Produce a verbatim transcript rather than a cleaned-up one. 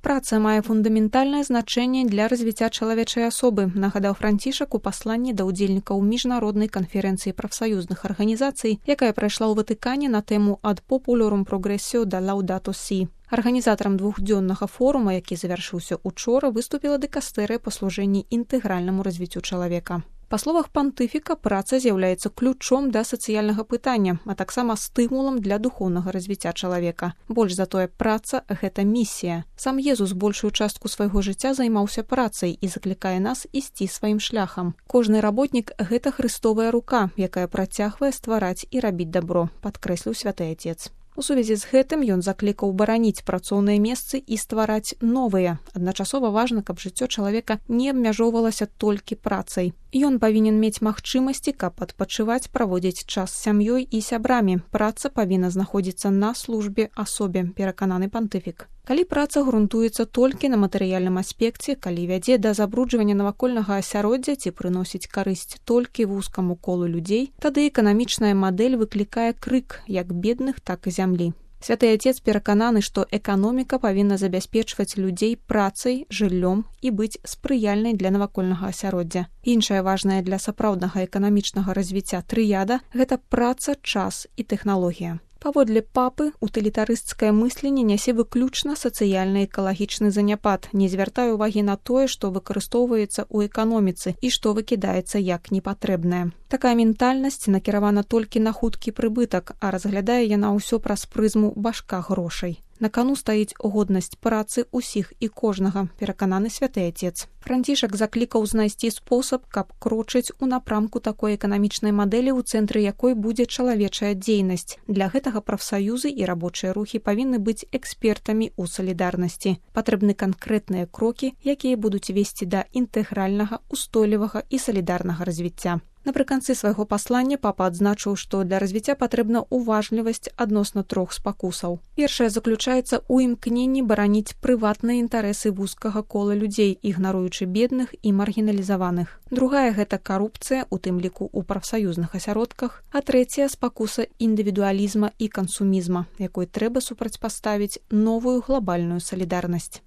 Праца мае фундаментальнае значэнне для развіцця чалавечай асобы, нагадаў Францішак у пасланні да ўдзельнікаў міжнароднай канферэнцыі прафсаюзных арганізацый, якая прайшла ў Ватыкане на тэму «Ad populorum progressio da Laudato Si». Арганізатарам двухдзённага форума, які завяршыўся учора, выступіла дыкастэрыя па служэнні інтэгральнаму развіццю чалавека. Па словах пантыфіка, праца з'яўляецца ключом да сацыяльнага пытання, а таксама стымулам для духоўнага развіцця чалавека. Больш за тое, праца – гэта місія. Сам Езус большую частку свайго жыцця займаўся працай і заклікае нас ісці сваім шляхам. Кожны работнік – гэта Христовая рука, якая працягвае ствараць і рабіць дабро, падкрэсліў святы Отец. У сувязі з гэтым ён заклікаў бараніць працоўныя месцы і ствараць новыя. Адначасова важна, каб жыццё чалавека не абмяжоўвалася толькі працай. Ён павінен мець магчымасці, каб адпачываць, праводзіць час з сям'ёй і сябрамі. Праца павінна знаходзіцца на службе асобе, перакананы пантыфік. Калі праца грунтуецца толькі на матэрыяльным аспекце, калі вядзе да забруджвання навакольнага асяроддзя ці прыносіць карысць толькі вузкаму колу людзей, тады эканамічная мадэль выклікае крык як бедных, так і зямлі. Святы Отец перакананы, што эканоміка павінна забяспечваць людзей працай, жыллём і быць спрыяльнай для навакольнага асяроддзя. Іншая важная для сапраўднага эканамічнага развіцця трыяда – гэта праца, час і тэхналогія. Паводле папы, утылітарысцкае мысленне нясе выключна сацыяльна-экалагічны заняпад, не звяртае ўвагі на тое, што выкарыстоўваецца ў эканоміцы і што выкідаецца як непатрэбнае. Такая ментальнасць накіравана толькі на хуткі прыбытак, а разглядае яна ўсё праз прызму башка грошай. На кану стаіць годнасць працы ўсіх і кожнага, перакананы святы Отец. Францішак заклікаў знайсці спосаб, каб крочыць у напрамку такой эканамічнай мадэлі, у цэнтры якой будзе чалавечая дзейнасць. Для гэтага прафсаюзы і рабочыя рухі павінны быць экспертамі ў салідарнасці. Патрэбны канкрэтныя крокі, якія будуць весці да інтэгральнага, устойлівага і салідарнага развіцця. Напрыканцы свайго паслання папа адзначыў, што для развіцця патрэбна уважлівасць адносна трох спакусаў. Першая заключаецца ў імкненні бараніць прыватныя інтарэсы вузкага кола людзей, ігнаруючы бедных і маргіналізаваных. Другая – гэта карупцыя, у тым ліку ў прафсаюзных асяродках. А трэцяя – спакуса індывідуалізма і кансумізма, якой трэба супрацьпаставіць новую глобальную салідарнасць.